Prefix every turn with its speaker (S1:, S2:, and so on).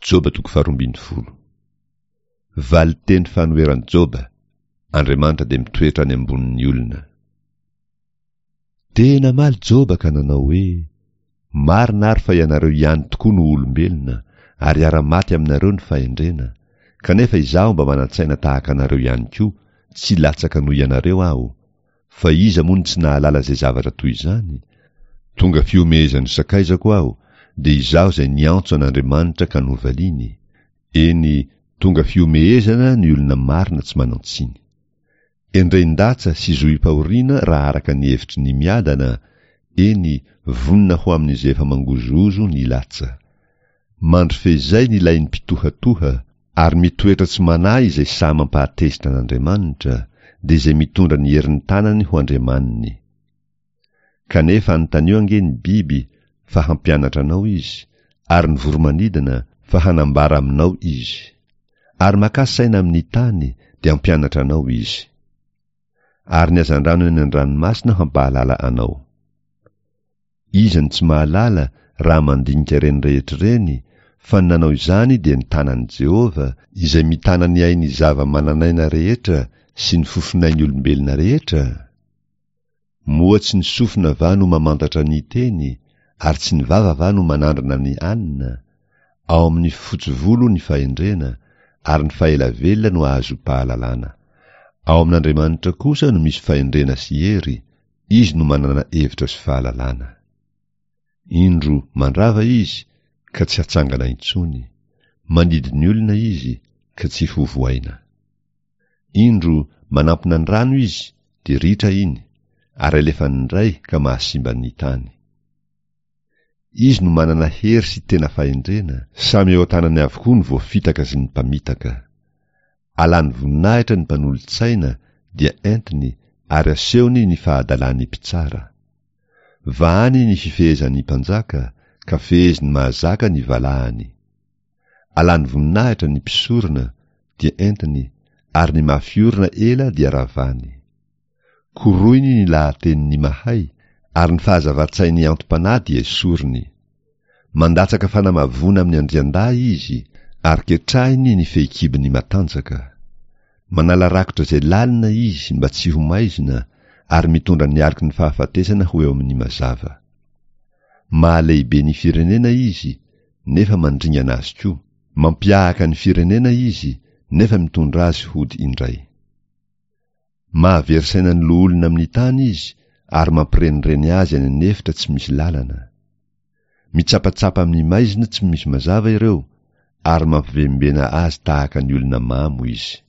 S1: Joba toko faharoambinifolo. Valinteny fanoheran'i Joba, Andriamanitra dia mitoetra any ambonin'ny olona. Dia namaly Joba ka nanao hoe, Marina ary fa ianareo ihany tokoa no olombelona, ary hiara-maty aminareo ny fahendrena, kanefa izaho mba manan-tsaina tahaka anareo ihany koa, tsy latsaka noho ianareo aho, Fa iza moa no tsy nahalala izay zavatra toy izany? Tonga fihomehezan'ny sakaizako aho, dia izaho izay niantso an'Andriamanitra ka novaliany. Eny, tonga fihomehezana ny olona marina tsy manan-tsiny. Endrein-datsa sy zohim-pahoriana raha araka ny hevitry ny miadana, eny, vonona ho amin'izay efa mangozohozo ny latsa. Mandry feizay ny lain'ny mpitohatoha, ary mitoetra tsy manahy izay sahy mampahatezitra an'Andriamanitra, dia izay mitondra ny herin'ny tanany ho andriamaniny. Kanefa anontanio ange ny biby fa hampianatra anao izy, ary ny voro-manidina fa hanambara aminao izy. Ary makà saina amin'ny tany, dia hampianatra anao izy. Ary ny hazandrano eny an-dranomasina hampahalala anao. Iza no tsy mahalala raha mandinika ireny rehetra ireny fa ny nanao izany dia ny tanan'i Jehovah, izay mitana ny ain'ny zava-manan'aina rehetra sy ny fofonain'ny olombelona rehetra? Moa tsy ny sofina va no mamantatra ny teny, ary tsy ny vava va no manandrana ny anina? Ao amin'ny fotsy volo ny fahendrena, ary ny fahela velona no ahazoam-pahalalana. Ao amin'Andriamanitra kosa no misy fahendrena sy hery, Izy no manana hevitra sy fahalalana. Indro mandrava izy ka tsy hatsangana intsony, mandidy ny olona izy ka tsy ho vohaina. Indro manampina ny rano izy dia ritra iny, ary alefany indray ka mahasimba ny tany. Izy no manana hery sy tena fahendrena, samy eo an-tanany avokoa ny voafitaka sy ny mpamitaka. Alany voninahitra ny mpanolotsaina dia entiny ary asehony ny fahadalan'ny mpitsara. Vahany ny fifehezan'ny mpanjaka ka feheziny mahazaka ny valahany. Alany voninahitra ny mpisorona dia entiny ary ny mafy orina ela dia ravany. Koroiny ny lahatenin'ny mahay, ary ny fahazavan-tsain'ny antom-panahy dia esoriny. Mandatsaka fanamavoana amin'ny andriandahy izy, ary ketrahiny ny fehikibony matanjaka. Manala rakotra izay lalina izy mba tsy ho maizina, ary mitondra ny aloky ny fahafatesana ho eo amin'ny mazava. Mahalehibe ny firenena izy, nefa mandringana azy koa. Mampiahaka ny firenena izy, nefa mitondra azy hody indray. Mahavery saina ny loholona amin'ny tany izy ary mampirenireny azy any an'efitra tsy misy lalana. Mitsapatsapa amin'ny maizina tsy misy mazava ireo ary mampivembena azy tahaka ny olona mamo izy.